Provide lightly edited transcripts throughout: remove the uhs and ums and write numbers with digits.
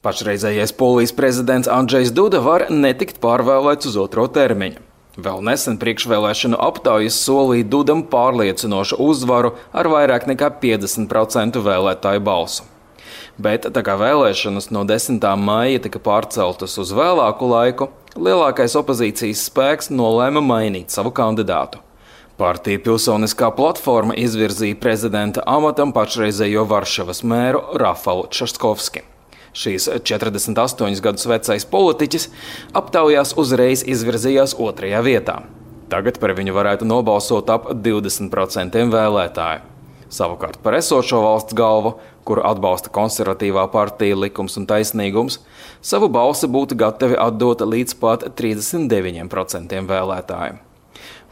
Pašreizējais Polijas prezidents Andžejs Duda var netikt pārvēlēts uz otro termiņu. Vēl nesen priekšvēlēšanu aptaujas solīja Dudam pārliecinošu uzvaru ar vairāk nekā 50% vēlētāju balsu. Bet tā kā vēlēšanas no 10. maija tika pārceltas uz vēlāku laiku, lielākais opozīcijas spēks nolēma mainīt savu kandidātu. Partija Pilsoniskā platforma izvirzīja prezidenta amatam pašreizējo Varšavas mēru Rafalu Časkovski. Šīs 48 gadus vecais politiķis aptaujās uzreiz izvirzījās otrajā vietā. Tagad par viņu varētu nobalsot ap 20% vēlētāju. Savukārt par esošo valsts galvu, kuru atbalsta konservatīvā partija Likums un taisnīgums, savu balsi būtu gatavi atdot līdz pat 39% vēlētāju.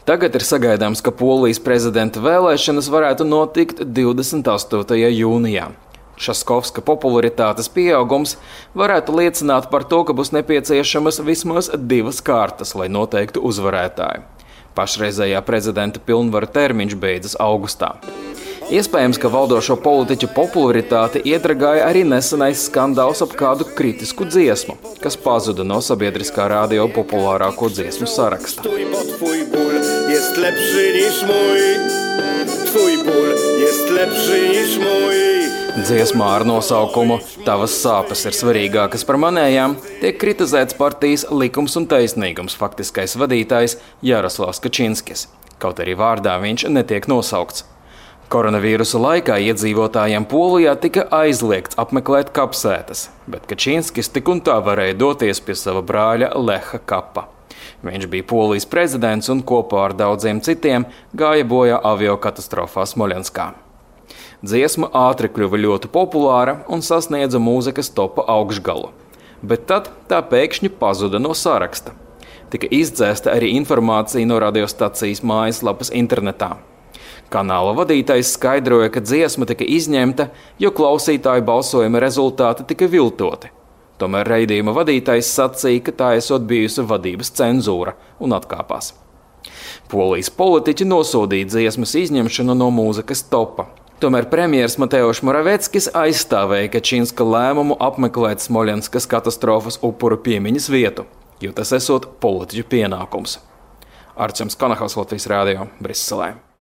Tagad ir sagaidāms, ka Polijas prezidenta vēlēšanas varētu notikt 28. jūnijā. Časkovska popularitātes pieaugums varētu liecināt par to, ka būs nepieciešamas vismaz 2 kārtas, lai noteiktu uzvarētāju. Pašreizējā prezidenta pilnvaru termiņš beidzas augustā. Iespējams, ka valdošo politiķu popularitāti iedragāja arī nesenais skandāls ap kādu kritisku dziesmu, kas pazuda no sabiedriskā radio populārāko dziesmu saraksta. Dziesmā ar nosaukumu "Tavas sāpes ir svarīgākas par manējām" tiek kritizēts partijas Likums un taisnīgums faktiskais vadītājs Jaroslavs Kačinskis, kaut arī vārdā viņš netiek nosaukts. Koronavīrusa laikā iedzīvotājiem Polijā tika aizliegts apmeklēt kapsētas, bet Kačinskis tik un tā varēja doties pie sava brāļa Leha kapa. Viņš bija Polijas prezidents un kopā ar daudziem citiem gāja bojā aviokatastrofā Smoļenskā. Dziesma ātri kļuva ļoti populāra un sasniedza mūzikas topa augšgalu, bet tad tā pēkšņi pazuda no saraksta. Tika izdzēsta arī informācija no radiostacijas mājaslapas internetā. Kanāla vadītājs skaidroja, ka dziesma tika izņemta, jo klausītāju balsojuma rezultāti tika viltoti. Tomēr raidījuma vadītājs sacīja, ka tā esot bijusi vadības cenzūra un atkāpās. Polijas politiķi nosodīja dziesmas izņemšanu no mūzikas topa. Tomēr premjers Mateuš Moraveckis aizstāvēja Kačinska lēmumu apmeklēt Smoļenskas katastrofas upuru piemiņas vietu, jo tas esot politiķu pienākums. Arčams Kanahaus, Latvijas radio, Briselē.